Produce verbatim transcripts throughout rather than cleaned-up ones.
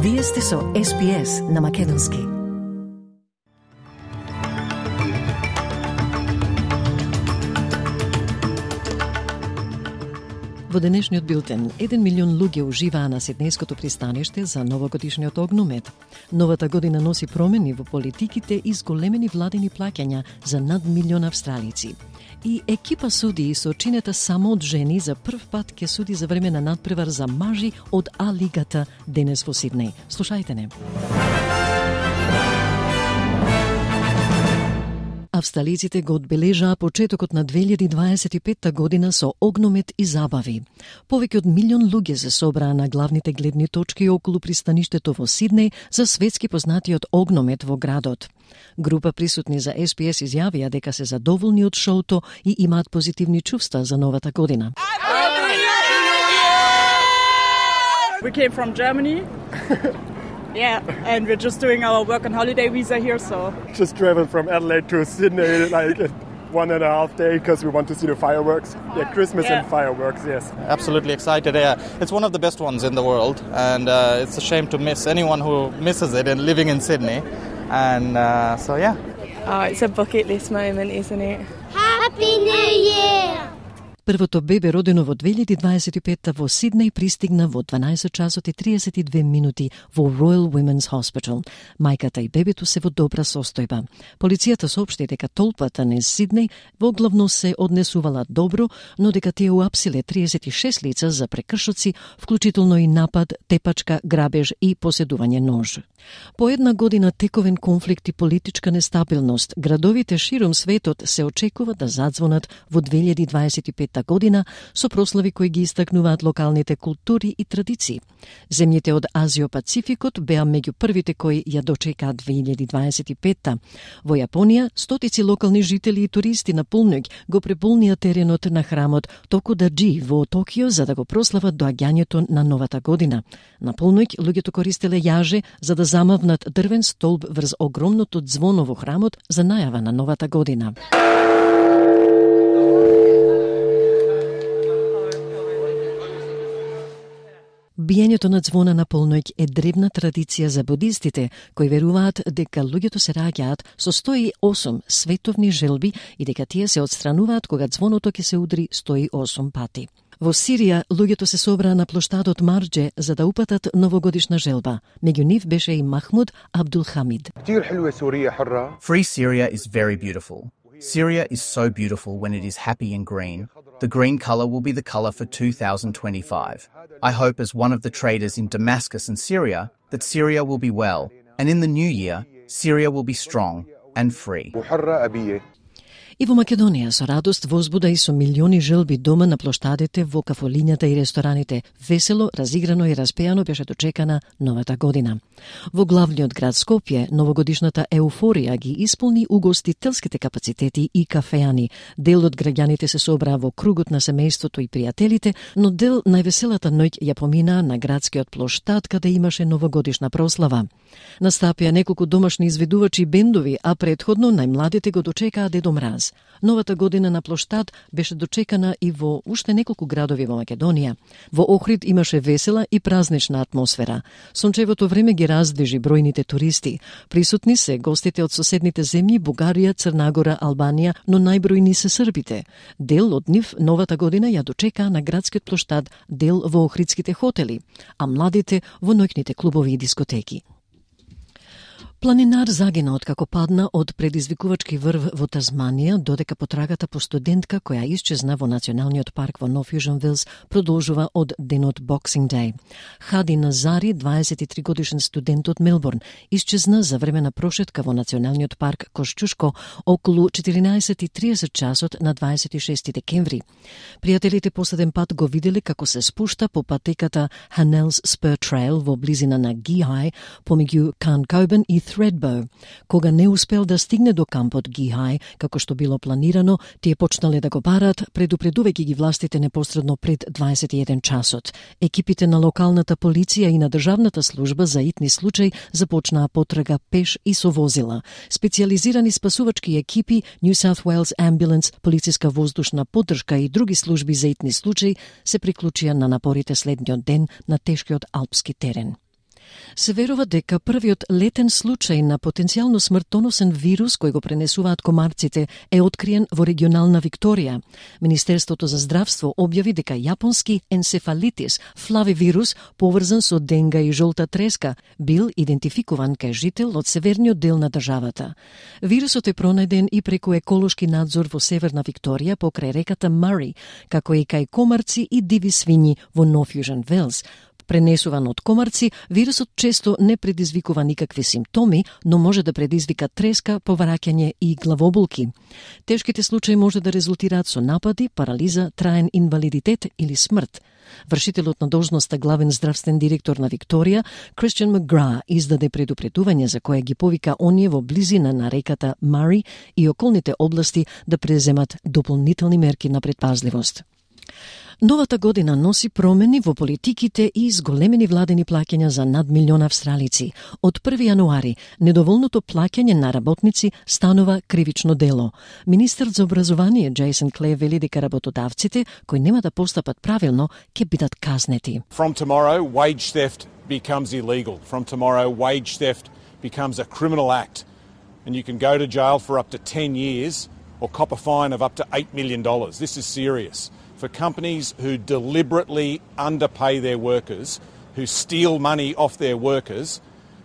Вие сте со Ес Би Ес на Македонски. Во денешниот билтен, еден милион луѓе уживаа на Сиднејското пристаниште за новогодишниот огномет. Новата година носи промени во политиките и зголемени владени плаќања за над милион австралици. И екипа судии со чинета само од жени за прв пат ќе суди за време на надпревар за мажи од А-лигата денес во Сиднеј. Слушајте не. Австралиците го одбележаа почетокот на две илјади дваесет и петта година со огномет и забави. Повеќе од милион луѓе се собраа на главните гледни точки околу пристаништето во Сиднеј за светски познатиот огномет во градот. Група присутни за Ес Би Ес изјавија дека се задоволни од шоуто и имаат позитивни чувства за новата година. We came from Germany. Yeah, and we're just doing our work and holiday visa here, so... Just traveled from Adelaide to Sydney like one and a half day because we want to see the fireworks. Yeah, Christmas yeah. and fireworks, yes. Absolutely excited, yeah. It's one of the best ones in the world, and uh, it's a shame to miss anyone who misses it and living in Sydney. And uh, so, yeah. Oh, it's a bucket list moment, isn't it? Happy New Year! Првото бебе родено во две илјади дваесет и петта во Сиднеј пристигна во дванаесет часот и триесет и две минути во Royal Women's Hospital. Мајката и бебето се во добра состојба. Полицијата соопшти дека толпата низ Сиднеј воглавно се однесувала добро, но дека тие уапсиле триесет и шест лица за прекршоци, вклучително и напад, тепачка, грабеж и поседување нож. По една година тековен конфликт и политичка нестабилност, градовите широм светот се очекува да задзвонат во две илјади дваесет и петта година со прослави кои ги истакнуваат локалните култури и традиции. Земјите од Азио-Пацификот беа меѓу првите кои ја дочекаа две илјади дваесет и петта. Во Јапонија, стотици локални жители и туристи на полноќ го преполнија теренот на храмот Токудаџи во Токио за да го прослават доаѓањето на новата година. На полноќ луѓето користеле јаже за да замавнат дрвен столб врз огромното ѕвоно во храмот за најава на новата година. Биењето на ѕвона на полноќ е древна традиција за будистите, кои веруваат дека луѓето се раѓаат со сто и осум световни желби и дека тие се отстрануваат кога ѕвоното ќе се удри сто и осум пати. Во Сирија, луѓето се собраа на плоштадот Мардже за да упатат новогодишна желба. Меѓу нив беше и Махмуд Абдул Хамид. Free Syria is very beautiful. Syria is so beautiful when it is happy and green. The green colour will be the colour for two thousand twenty-five. I hope as one of the traders in Damascus and Syria that Syria will be well, and in the new year, Syria will be strong and free. И во Македонија со радост возбуда и со милиони желби дома на плоштадите, во кафолињата и рестораните. Весело, разиграно и распеано беше дочекана новата година. Во главниот град Скопје, новогодишната еуфорија ги исполни угостителските капацитети и кафеани. Дел од граѓаните се собраа во кругот на семејството и пријателите, но дел највеселата ноќ ја поминаа на градскиот плоштад каде имаше новогодишна прослава. Настапија неколку домашни изведувачи и бендови, а предходно најмладите го дочекаа Дедо Мраз. Новата година на плоштад беше дочекана и во уште неколку градови во Македонија. Во Охрид имаше весела и празнична атмосфера. Сончевото време ги раздвижи бројните туристи. Присутни се гостите од соседните земји Бугарија, Црна Гора, Албанија, но најбројни се србите. Дел од нив новата година ја дочекаа на градскиот плоштад, дел во охридските хотели, а младите во ноќните клубови и дискотеки. Планинар загина откако падна од предизвикувачки врв во Тазманија, додека потрагата по студентка која исчезна во Националниот парк во Нов Јужен Велс продолжува од денот Boxing Day. Хади Назари, дваесет и три годишен студент од Мелбурн, исчезна за време на прошетка во Националниот парк Кошчушко околу четиринаесет и триесет часот на дваесет и шести декември. Пријателите последен пат го виделе како се спушта по патеката Hanel's Spur Trail во близина на Гихај, помеѓу Carncobin и Thredbo. Кога не успел да стигне до кампот Гихај, како што било планирано, тие почнале да го барат, предупредувајќи ги властите непосредно пред дваесет и еден часот. Екипите на локалната полиција и на државната служба за итни случај започнаа потрага пеш и со возила. Специјализирани спасувачки екипи, New South Wales Ambulance, полициска воздушна поддршка и други служби за итни случаи се приклучија на напорите следниот ден на тешкиот алпски терен. Се верува дека првиот летен случај на потенцијално смртоносен вирус кој го пренесуваат комарците е откриен во регионална Викторија. Министерството за здравство објави дека јапонски енцефалитис, флавивирус, поврзан со денга и жолта треска, бил идентификуван кај жител од северниот дел на државата. Вирусот е пронајден и преку еколошки надзор во северна Викторија покрај реката Мари, како и кај комарци и диви свињи во Нов Јужен Велс. Пренесуван од комарци, вирусот често не предизвикува никакви симптоми, но може да предизвика треска, повраќање и главоболки. Тешките случаи може да резултираат со напади, парализа, траен инвалидитет или смрт. Вршителот на должноста главен здравствен директор на Викторија, Кристиан Макгра, издаде предупредување за кое ги повика оние во близина на реката Мари и околните области да преземат дополнителни мерки на предпазливост. Новата година носи промени во политиките и зголемени владени плаќања за над милион австралици. Од први јануари, недоволното плаќање на работници станува кривично дело. Министерот за образование Джейсон Клеј вели дека работодавците кои нема да постапат правилно ќе бидат казнети. From tomorrow, wage theft becomes illegal. From tomorrow, wage theft becomes a criminal act. And you can go to jail for up to ten years or cop a fine of up to eight million dollars. This is serious. For companies who deliberately underpay their workers, who steal money off their workers,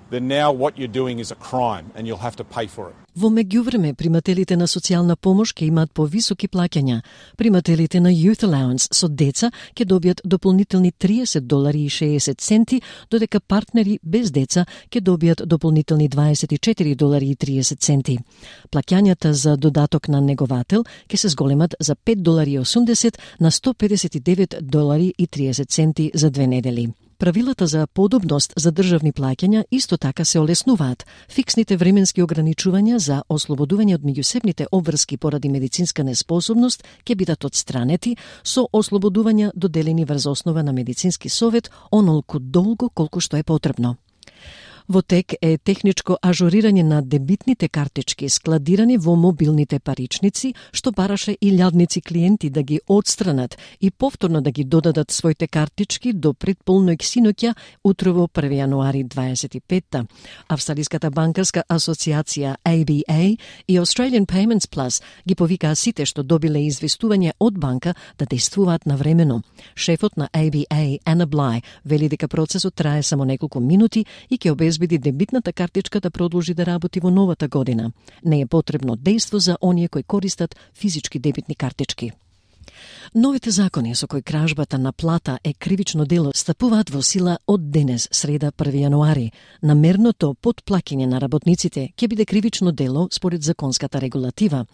then now what you're doing is a crime and you'll have to pay for it. Во меѓувреме, примателите на социјална помош ќе имаат повисоки плаќања. Примателите на Youth Allowance со деца ќе добијат дополнителни триесет долари и шеесет центи, додека партнери без деца ќе добијат дополнителни дваесет и четири долари и триесет центи. Плаќањата за додаток на неговател ќе се зголемат за пет долари и осумдесет на сто педесет и девет долари и триесет центи за две недели. Правилата за подобност за државни плаќања исто така се олеснуваат. Фиксните временски ограничувања за ослободување од меѓусебните обврски поради медицинска неспособност ќе бидат отстранети со ослободувања доделени врз основа на медицински совет онолку долго колку што е потребно. Во тек е техничко ажурирање на дебитните картички складирани во мобилните паричници, што бараше и илјадници клиенти да ги отстранат и повторно да ги додадат своите картички до предполној синоќа утрово први јануари дваесет и петта. Австралиската банкарска асоциација A B A и Australian Payments Plus ги повикаа сите што добиле известување од банка да действуваат навремено. Шефот на A B A, Anna Bly, вели дека процесот трае само неколку минути и ќе обезбеди биде дебитната картичка да продолжи да работи во новата година. Не е потребно дејство за оние кои користат физички дебитни картички. Новите закони со кои кражбата на плата е кривично дело стапуваат во сила од денес, среда први јануари. Намерното подплаќање на работниците ќе биде кривично дело според законската регулатива.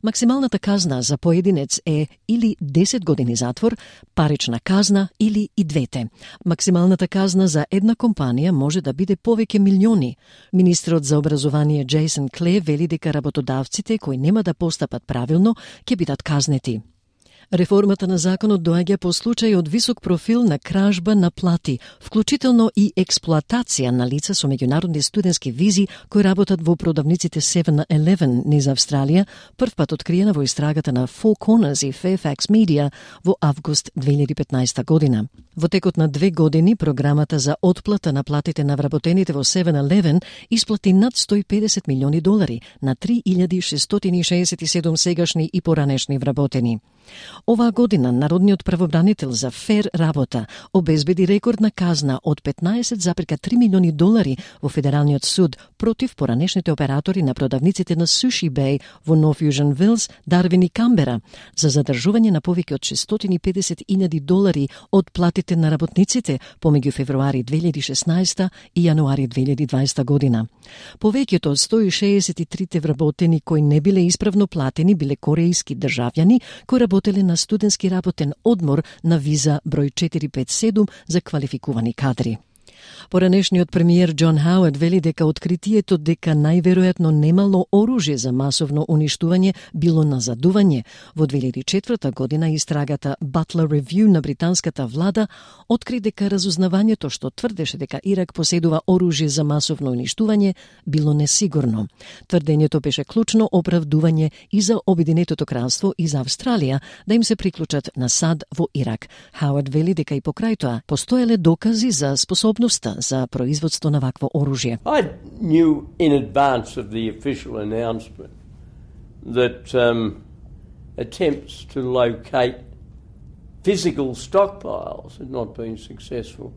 Максималната казна за поединец е или десет години затвор, парична казна или и двете. Максималната казна за една компанија може да биде повеќе милиони. Министерот за образование Джейсон Клеј вели дека работодавците кои нема да постапат правилно ќе бидат казнети. Реформата на законот доаѓа по случај од висок профил на кражба на плати, вклучително и експлоатација на лица со меѓународни студентски визи кои работат во продавниците севен елевен низ Австралија, првпат откриена во истрагата на Four Corners и Fairfax Media во август две илјади и петнаесета година. Во текот на две години, програмата за отплата на платите на вработените во севен елевен исплати над сто и педесет милиони долари на три илјади шестстотини шеесет и седум сегашни и поранешни вработени. Оваа година Народниот правобранител за фер работа обезбеди рекордна казна од петнаесет зарез три милиони долари во Федералниот суд против поранешните оператори на продавниците на Sushi Bay во Нов Јужен Велс, Дарвин и Камбера за задржување на повеќе од шестстотини и педесет илјади долари од платите на работниците помеѓу февруари две илјади и шеснаесета и јануари две илјади и дваесета година. Повеќето од сто и шеесет и трите вработени кои не биле исправно платени биле корејски државјани кои работеле на студентски работен одмор на виза број четири пет седум за квалификувани кадри. Поранешниот премиер Џон Хауард вели дека откритието дека најверојатно немало оружје за масовно уништување било назадување. Во две илјади и четврта година истрагата Butler Review на британската влада откри дека разузнавањето што тврдеше дека Ирак поседува оружје за масовно уништување било несигурно. Тврдењето беше клучно оправдување и за Обединетото кралство и за Австралија да им се приклучат на САД во Ирак. Хауард вели дека и покрај тоа постоеле докази за способност доста за производство на вакво оружје. I knew in advance of the official announcement that um, attempts to locate physical stockpiles had not been successful.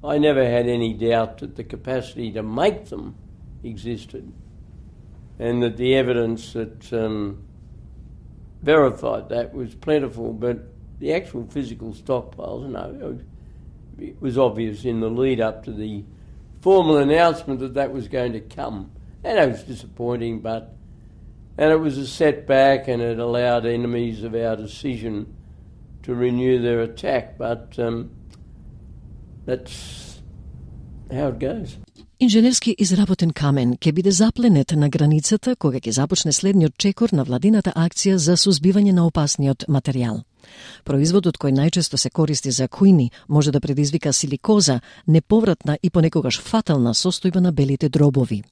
I never had any doubt that the capacity to make them existed and that the evidence that um, verified that was plentiful, but the actual physical stockpiles, no, it was obvious in the lead up to the formal announcement that that was going to come. And it was disappointing, but, and it was a setback, and it allowed enemies of our decision to renew their attack, but um, that's how it goes. Инженерски изработен камен ќе биде запленет на границата кога ќе започне следниот чекор на владината акција за сузбивање на опасниот материјал. Производот кој најчесто се користи за кујни може да предизвика силикоза, неповратна и понекогаш фатална состојба на белите дробови.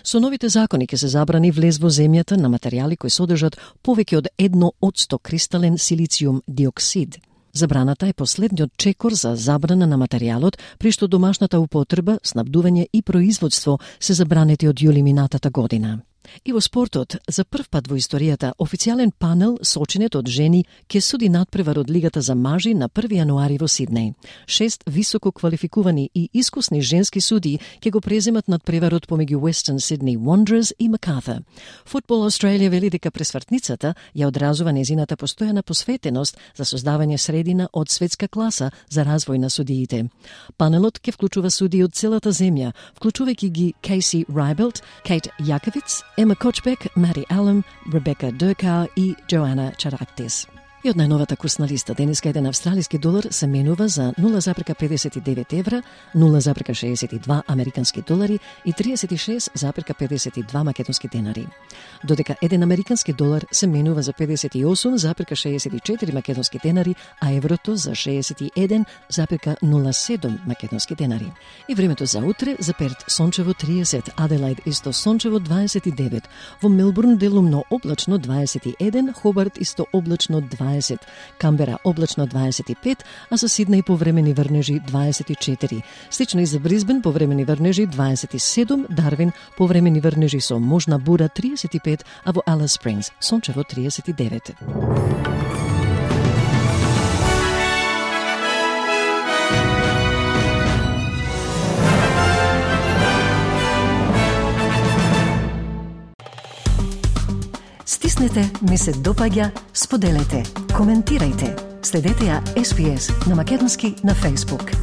Со новите закони ќе се забрани влез во земјата на материјали кои содржат повеќе од едно одсто кристален силициум диоксид. Забраната е последниот чекор за забрана на материјалот, при што домашната употреба, снабдување и производство се забранети од јули минатата година. И во спортот, за прв пат во историјата, официјален панел сочинет од жени ќе суди надпревар од Лигата за мажи на први јануари во Сиднеј. Шест високо квалификувани и искусни женски суди ќе го преземат надпреварот помеѓу Western Sydney Wanderers и Макарthur. Футбол Австралија вели дека пресвртницата ја одразува незината постојана посветеност за создавање средина од светска класа за развој на судиите. Панелот ќе вклучува судии од целата земја, вклучувајќи ги Кейси Райбелт, Кейт Јаковиц, Emma Kochbeck, Maddie Allen, Rebecca Durkau и Joanna Charactis. И од најновата курсна листа, денеска еден австралиски долар се менува за нула запрека педесет и девет евра, нула запрека шеесет и два американски долари и триесет и шест запрека педесет и два македонски денари. Додека еден американски долар се менува за педесет и осум запрека шеесет и четири македонски денари, а еврото за шеесет и еден запрека нула седум македонски денари. И времето за утре: за Перт сончево триесет, Аделаид исто сончево дваесет и девет, во Мелбурн делумно облачно дваесет и еден, Хобарт исто облачно дваесет, Камбера облачно дваесет и пет, а за Сиднеј повремени врнежи дваесет и четири. Слично и за Брисбен повремени врнежи дваесет и седум, Дарвин повремени врнежи со можна бура триесет и пет, а во Алис Спрингс сончево триесет и девет. Стиснете, ми се допаѓа, споделете, коментирајте. Следете ја Ес Би Ес на македонски на Facebook.